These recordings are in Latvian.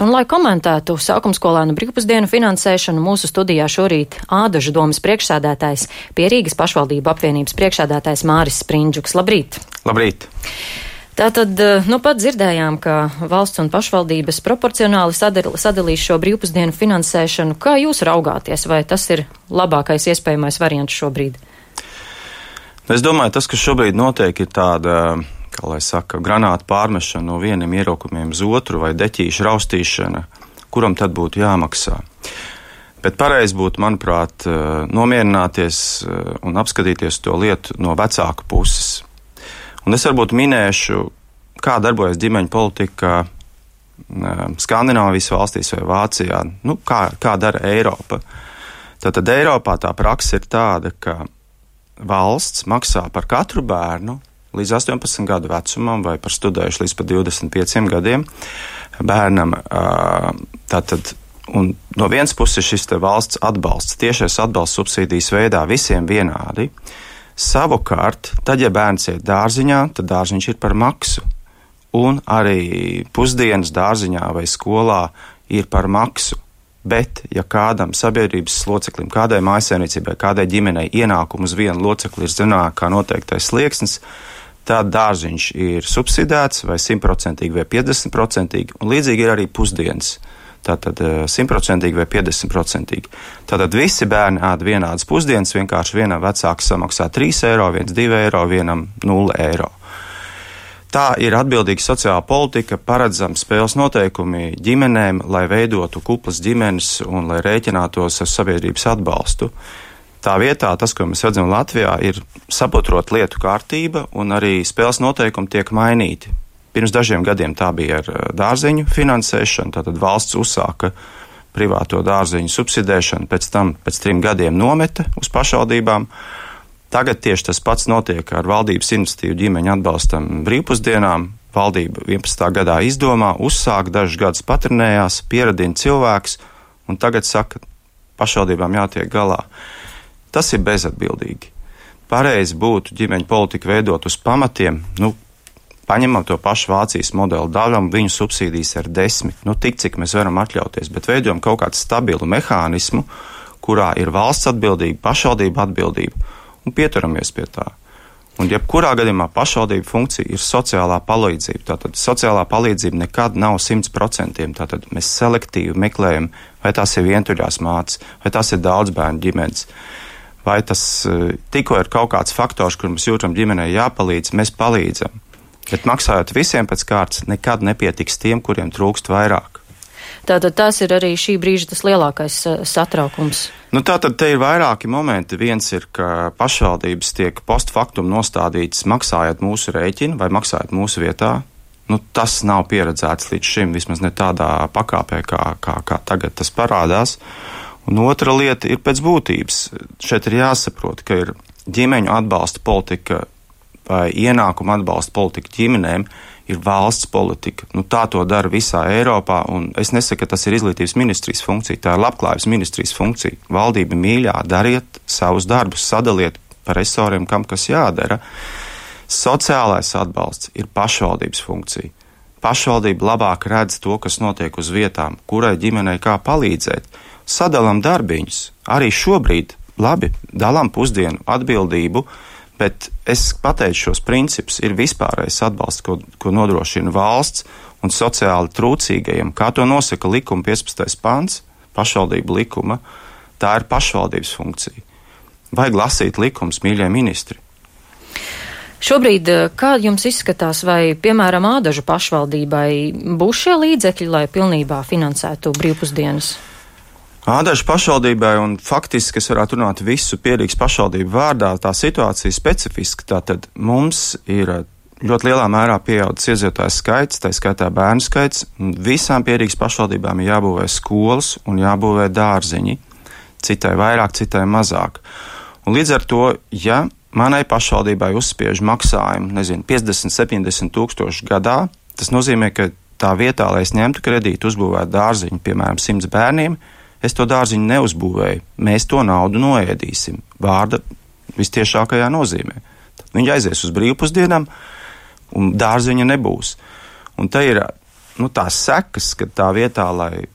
Un, lai komentētu sākumskolēnu brīvpusdienu finansēšanu, mūsu studijā šorīt Ādažu domas priekšsēdētājs, pie Rīgas pašvaldību apvienības priekšsēdētājs Māris Sprindžuks. Labrīt! Labrīt! Tātad, pat dzirdējām, ka valsts un pašvaldības proporcionāli sadalīs šo brīvpusdienu finansēšanu. Kā jūs raugāties, vai tas ir labākais iespējamais variants šobrīd? Es domāju, tas, kas šobrīd notiek, ir tāda, kā lai saka, granāta pārmešana no vieniem ieraukumiem uz otru vai deķīšu raustīšana, kuram tad būtu jāmaksā. Bet pareizi būtu, manuprāt, nomierināties un apskatīties to lietu no vecāku puses. Un es varbūt minēšu, kā darbojas ģimeņu politika Skandināvijas valstīs vai Vācijā, kā dara Eiropa. Tātad Eiropā tā praksa ir tāda, ka valsts maksā par katru bērnu līdz 18 gadu vecumam vai par studējuši līdz pat 25 gadiem bērnam. Tātad, un no vienas puses šis te valsts atbalsts, tiešais atbalsts subsīdijas veidā visiem vienādi. Savukārt, tad, ja bērns iet dārziņā, tad dārziņš ir par maksu. Un arī pusdienas dārziņā vai skolā ir par maksu. Bet, ja kādam sabiedrības loceklim, kādai mājsaimniecībai, kādai ģimenei ienākumu uz vienu locekli ir zināt, kā noteiktais slieksnis, tad dārziņš ir subsidēts vai 100% vai 50%, un līdzīgi ir arī pusdienas. Tātad 100% vai 50%. Tātad visi bērni ēd vienādas pusdienas, vienkārši vienam vecāks samaksā 3 eiro, viens 2 eiro, vienam 0 eiro. Tā ir atbildīga sociāla politika, paredzama spēles noteikumi ģimenēm, lai veidotu kuplas ģimenes un lai rēķinātos ar sabiedrības atbalstu. Tā vietā tas, ko mēs redzam Latvijā, ir saprotot lietu kārtība un arī spēles noteikumi tiek mainīti. Pirms dažiem gadiem tā bija ar dārziņu finansēšanu, tātad valsts uzsāka privāto dārziņu subsidēšanu, pēc tam pēc 3 gadiem nometa uz pašvaldībām. Tagad tieši tas pats notiek ar valdības iniciatīvu ģimeņu atbalstam brīvpusdienām. Valdība 11. gadā izdomā, uzsāk, dažus gadus patrenējās, pieradina cilvēks, un tagad saka, pašvaldībām jātiek galā. Tas ir bezatbildīgi. Pareizi būtu ģimeņu politiku veidot uz pamatiem, paņemam to pašu Vācijas modeli, daļam viņu subsīdijas ar 10, tik cik mēs varam atļauties, bet veidojam kaut kādu stabilu mehānismu, kurā ir valsts atbildība, pašvaldība atbildība, un pieturamies pie tā. Un jebkurā gadījumā pašvaldība funkcija ir sociālā palīdzība. Tātad sociālā palīdzība nekad nav 100%. Tātad mēs selektīvi meklējam, vai tās ir vientuļās mātes, vai tās ir daudz bērnu ģimenes, vai tas tikko ir kaut kāds faktors, kur mēs jūtam ģimenei jāpalīdz, mēs palīdzam. Bet maksājot visiem pēc kārtas, nekad nepietiks tiem, kuriem trūkst vairāk. Tātad tas ir arī šī brīža tas lielākais satraukums. Tātad te ir vairāki momenti. Viens ir, ka pašvaldības tiek post factum nostādītas maksājot mūsu rēķinu vai maksājot mūsu vietā. Tas nav pieredzēts līdz šim, vismaz ne tādā pakāpē, kā tagad tas parādās. Un otra lieta ir pēc būtības. Šeit ir jāsaprot, ka ir ģimeņu atbalsta politika vai ienākuma atbalsta politika ģimenēm ir valsts politika. Tā to dara visā Eiropā, un es nesaku, ka tas ir izglītības ministrijas funkcija, tā ir labklājības ministrijas funkcija. Valdība mīļā, dariet savus darbus, sadaliet par resoriem, kam kas jādara. Sociālais atbalsts ir pašvaldības funkcija. Pašvaldība labāk redz to, kas notiek uz vietām, kurai ģimenei kā palīdzēt. Sadalam darbiņus. Arī šobrīd labi dalām pusdienu atbildību, bet es pateicu šos principus, ir vispārējais atbalsts, ko nodrošina valsts un sociāli trūcīgajiem, kā to nosaka likuma 15. pants, pašvaldību likuma, tā ir pašvaldības funkcija. Vajag lasīt likums, mīļie ministri. Šobrīd, kā jums izskatās, vai, piemēram, Ādažu pašvaldībai būs šie līdzekļi, lai pilnībā finansētu brīvpusdienas? Ādažu pašvaldībai, un faktiski es varētu runāt visu Pierīgas pašvaldību vārdā, tā situācija specifiska. Tātad mums ir ļoti lielā mērā pieaudzis iedzīvotāju skaits, tā skaitā bērnu skaits. Visām Pierīgas pašvaldībām ir jābūvē skolas un jābūvē dārziņi. Citai vairāk, citai mazāk. Un līdz ar to, ja manai pašvaldībai uzspiež maksājumu, 50-70 tūkstoši gadā, tas nozīmē, ka tā vietā, lai es ņemtu kredītu, uzbūvētu dārziņu, piemēram, 100 bērniem, es to dārziņu neuzbūvēju. Mēs to naudu noēdīsim. Vārda vistiešākajā nozīmē. Tad viņi aizies uz brīvpusdienām, un dārziņa nebūs. Un te ir tās sekas, ka tā vietā, lai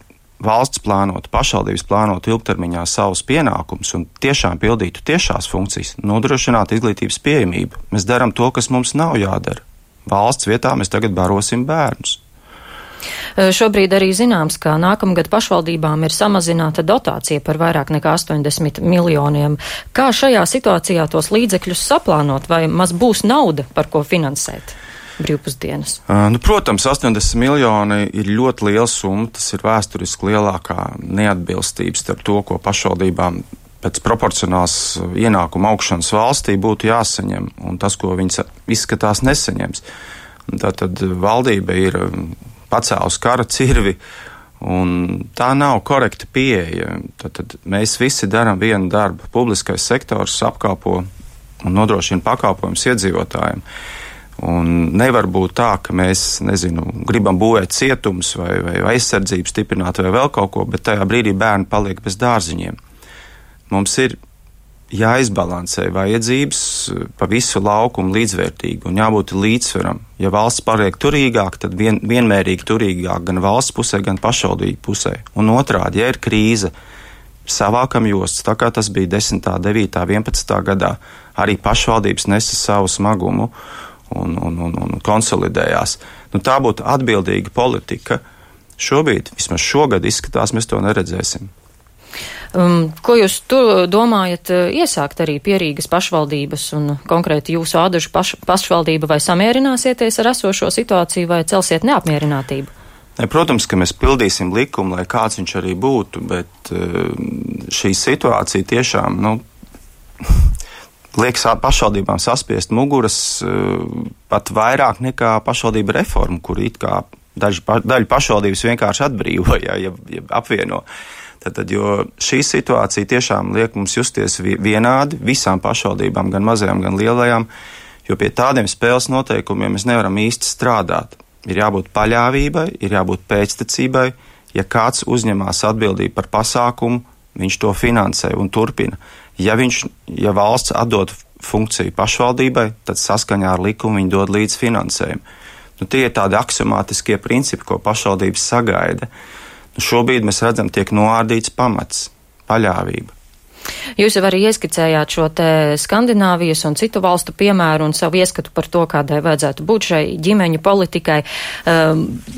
valsts plānotu, pašvaldības plānotu ilgtermiņā savus pienākumus un tiešām pildītu tiešās funkcijas, nodrošināt izglītības pieejamību. Mēs darām to, kas mums nav jādara. Valsts vietā mēs tagad barosim bērnus. Šobrīd arī zināms, ka nākamgad pašvaldībām ir samazināta dotācija par vairāk nekā 80 miljoniem. Kā šajā situācijā tos līdzekļus saplānot, vai maz būs nauda, par ko finansēt brīvpusdienas? Protams, 80 miljoni ir ļoti liela summa. Tas ir vēsturiski lielākā neatbilstība starp to, ko pašvaldībām pēc proporcionāls ienākuma augšanas valstī būtu jāsaņem, un tas, ko viņas izskatās nesaņems. Tātad valdība ir pacēlus kara cirvi, un tā nav korekta pieeja. Tad mēs visi darām vienu darbu. Publiskais sektors apkalpo un nodrošina pakalpojumus iedzīvotājiem. Un nevar būt tā, ka mēs, gribam būvēt cietumus vai aizsardzību stiprināt vai vēl kaut ko, bet tajā brīdī bērni paliek bez dārziņiem. Mums ir jāizbalansē vajadzības pa visu laukumu līdzvērtīgi un jābūt līdzsvaram. Ja valsts paliek turīgāk, tad vienmērīgi turīgāk gan valsts pusē, gan pašvaldību pusē. Un otrādi, ja ir krīze, savākam jostas, tā kā tas bija 10., 9., 11. gadā, arī pašvaldības nesa savu smagumu un konsolidējās. Tā būtu atbildīga politika. Šobrīd, vismaz šogad izskatās, mēs to neredzēsim. Ko jūs domājat iesākt arī pie Rīgas pašvaldības un konkrēti jūsu Ādažu pašvaldība, vai samierināsieties ar esošo situāciju vai celsiet neapmierinātību? Protams, ka mēs pildīsim likumu, lai kāds viņš arī būtu, bet šī situācija tiešām, liekas pašvaldībām saspiest muguras pat vairāk nekā pašvaldība reforma, kur it kā daļu pašvaldības vienkārši atbrīvoja, ja apvieno. Jo šī situācija tiešām liek mums justies vienādi visām pašvaldībām, gan mazajām, gan lielajām, jo pie tādiem spēles noteikumiem mēs nevaram īsti strādāt. Ir jābūt paļāvībai, ir jābūt pēctecībai. Ja kāds uzņemās atbildību par pasākumu, viņš to finansē un turpina. Ja valsts atdod funkciju pašvaldībai, tad saskaņā ar likumu viņi dod līdz finansējumu. Tie ir tādi aksiomātiskie principi, ko pašvaldības sagaida. Šobrīd mēs redzam, tiek noārdīts pamats - paļāvība. Jūs jau arī ieskicējāt šo te Skandināvijas un citu valstu piemēru un savu ieskatu par to, kādai vajadzētu būt šai ģimeņu politikai.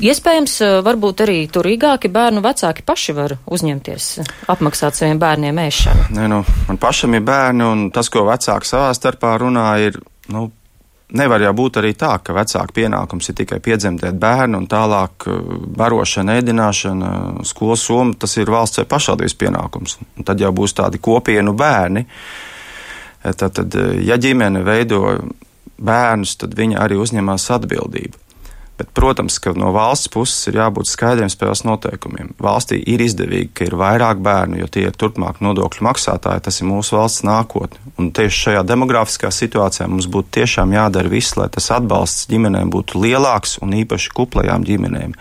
Iespējams, varbūt arī turīgāki bērnu vecāki paši var uzņemties apmaksāt saviem bērniem ēšanu. Man pašam ir bērni, un tas, ko vecāki savā starpā runā, ir, nevar jau būt arī tā, ka vecāku pienākums ir tikai piedzemdēt bērnu un tālāk barošana, ēdināšana, skolas summa, tas ir valsts vai pašvaldības pienākums. Un tad jau būs tādi kopienu bērni. Tad, ja ģimene veido bērnus, tad viņa arī uzņemās atbildību. Bet, protams, ka no valsts puses ir jābūt skaidriem spēles noteikumiem. Valstī ir izdevīgi, ka ir vairāk bērnu, jo tie ir turpmāk nodokļu maksātāji, tas ir mūsu valsts nākotne. Un tieši šajā demografiskā situācijā mums būtu tiešām jādara viss, lai tas atbalsts ģimenēm būtu lielāks un īpaši kuplajām ģimenēm.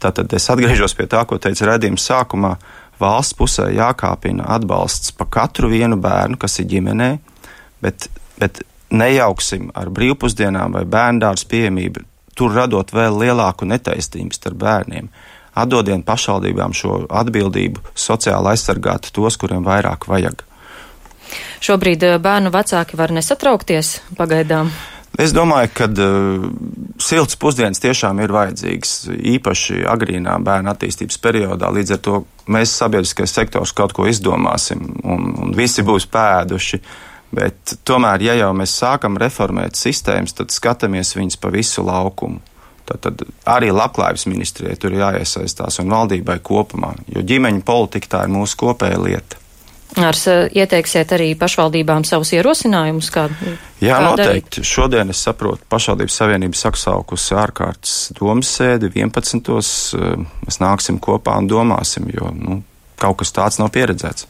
Tātad es atgriežos pie tā, ko teicu redzījuma sākumā. Valsts pusē jākāpina atbalsts pa katru vienu bērnu, kas ir ģimenē, bet nejauksim ar brīvpusdienām vai bērndārzu pieejamību, tur radot vēl lielāku netaisnību starp bērniem. Atdodiet pašvaldībām šo atbildību sociāli aizsargāt tos, kuriem vairāk vajag. Šobrīd bērnu vecāki var nesatraukties pagaidām? Es domāju, ka silts pusdienas tiešām ir vajadzīgs, īpaši agrīnā bērna attīstības periodā. Līdz ar to mēs sabiedriskais sektors kaut ko izdomāsim un visi būs pēduši. Bet tomēr, ja jau mēs sākam reformēt sistēmas, tad skatāmies viņas pa visu laukumu. Tad arī labklājības ministrijai tur jāiesaistās un valdībai kopumā, jo ģimeņu politika tā ir mūsu kopēja lieta. Ieteiksiet arī pašvaldībām savus ierosinājumus? Jā, noteikti. Šodien es saprotu, pašvaldības savienība saksaukusi ārkārtas domas sēdi 11. Mēs nāksim kopā un domāsim, jo kaut kas tāds nav pieredzēts.